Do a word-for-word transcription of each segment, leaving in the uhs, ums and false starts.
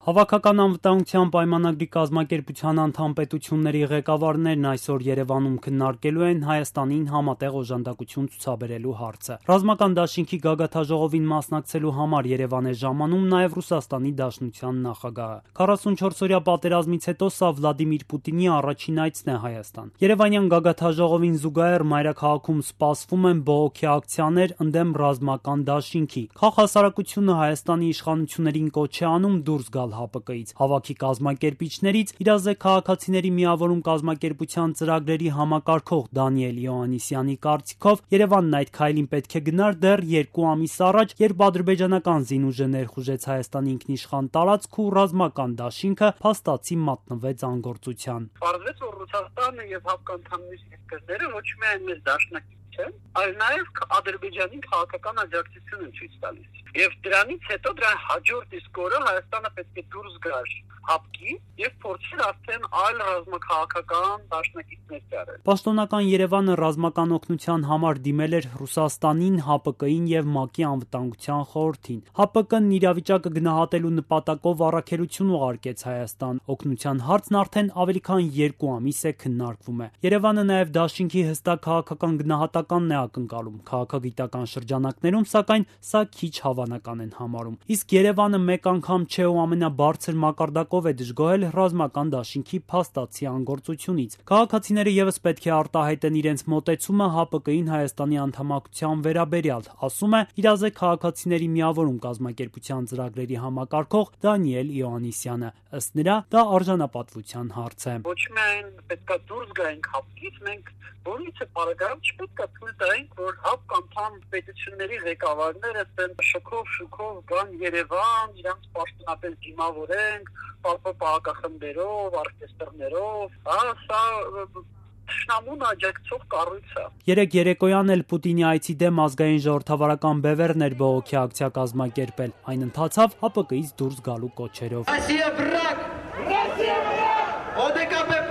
Հավաքական անվտանգության պայմանագրի կազմակերպության անդամ պետությունների ղեկավարներն այսօր Երևանում քննարկելու են Հայաստանին համատեղ օժանդակություն ցուցաբերելու հարցը։ Ռազմական դաշինքի գագաթաժողովին մասնակցելու համար Երևան է ժամանում նաև Ռուսաստանի Դաշնության նախագահը։ քառասունչորսօրյա պատերազմից հետո սա Վլադիմիր Պուտինի առաջին այցն է Հայաստան։ Երևանյան գագաթաժողովին զուգահեռ մայրաքաղաքում սպասվում են բողոքի ակցիաներ ընդդեմ ռազմական դաշինքի։ Քաղաքահասարակությունը Հայաստանի իշխանություններին կոչ է անում դուրս գալ ՀԱՊԿ-ից։ Հավաքի կազմակերպիչներից իրազեկ քաղաքացիների միավորում կազմակերպության ծրագրերի համակարգող Դանիել Իոաննիսյանի կարծիքով Երևանն այդ քայլին պետք է գնար դեռ երկու ամիս առաջ, երբ ադրբեջանական զինուժը ներխուժեց Հայաստանի ինքնիշխան տարածք ու ռազմական դաշինքը փաստացի մատնվեց անգործության։ Պարզվեց, որ Ռուսաստանը եւ հապկանդամների երկրները ոչ միայն մեծ դաշնակից չեն, այլ նաեւ Ադրբեջանի քաղաքական աջակցություն են ցույց տալիս։ Եվ դրանից հետո դրա հաջորդ իսկ օրը Հայաստանը պետք է դուրս գար ՀԱՊԿ-ի եւ փորձեր արդեն այլ ռազմաքաղաքական դաշնակիցներ դարել։ Պաշտոնական Երևանը ռազմական օգնության համար դիմել էր Ռուսաստանին, ՀԱՊԿ-ին եւ ՄԱԿ-ի անվտանգության խորհրդին։ ՀԱՊԿ-ն իրավիճակը գնահատելու նպատակով առաքելություն ուղարկեց Հայաստան։ Օգնության հարցն արդեն ավելի քան երկու ամիս է քննարկվում է։ Երևանը նաեւ դաշինքի հստակ քաղաքական գնահատականն է ակնկալում։ Քաղաքագիտական շրջանակներում, սակայն, սա քիչ հավանական են համարում։ Իսկ Երևանը մեկ անգամ չէ ու ամենաբարձր մակարդակով է դժգոհել ռազմական դաշինքի փաստացի անգործությունից։ Քաղաքացիները եւս պետք է արտահայտեն իրենց մոտեցումը ՀԱՊԿ-ին Հայաստանի անդամակցության վերաբերյալ, ասում է իրազեկ քաղաքացիների միավորում կազմակերպության ծրագրերի համակարգող Դանիել Իոաննիսյանը։ Ըստ նրա, դա արժանապատվության հարց է։ Ոչ միայն պետք է դուրս գայինք ՀԱՊԿ-ից, մենք որից է բարակայում չպետք է թույլ տայինք, որ ՀԱՊԿ անդամ պետությունների ղեկավարները տեն շքով շուքով գան Երևան, իրանց պաշտոնապես դիմավորենք, ՊԱՊ պահակախմբերով, օրկեստրներով, հա, սա Շնամուն աջակցող կառույց է։ Երեք երեկոյան էլ Պուտինի այցի դեմ ազգային ժողովրդավարական բևեռն էր բողոքի ակցիա կազմակերպել։ Այն ընթացավ ՀԱՊԿ-ից դուրս գալու կոչերով։ Ռոսիա վրաք! Ռոսիա վրաք! ՕԴԿԲ վրաք!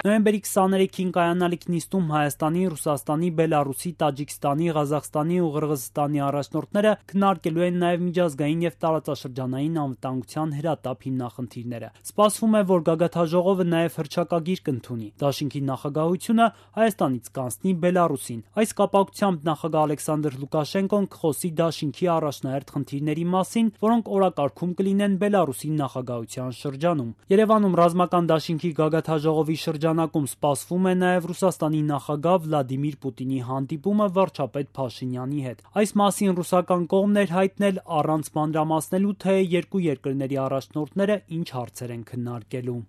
Նոյեմբերի քսաներեքին կայանալիք նիստում Հայաստանի, Ռուսաստանի, Բելարուսի, Տաջիկստանի, Ղազախստանի ու Ղրղզստանի առաջնորդները քննարկելու են նաև միջազգային եւ տարածաշրջանային անվտանգության հրատապ հիմնախնդիրները։ Սպասվում է, որ գագաթաժողովը նաև հռչակագիր կընդունի։ Դաշինքի նախագահությունը Հայաստանից կանցնի Բելարուսին։ Այս կապակցությամբ նախագահ Ալեքսանդր Լուկաշենկոն կխոսի դաշինքի առաջնահերթ խնդիրների մասին, որոնք օրակարգում կլինեն Բելարուսի նախագահության շրջանում։ Երևանում ռազմական դաշինքի գագաթաժողովի շրջան նակում սպասվում է նաև Ռուսաստանի նախագահ Վլադիմիր Պուտինի հանդիպումը վարչապետ Փաշինյանի հետ։ Այս մասին ռուսական կողմն էր հայտնել առանց մանրամասնելու, թե երկու երկրների առաջնորդները ինչ հարցեր են քննարկելու։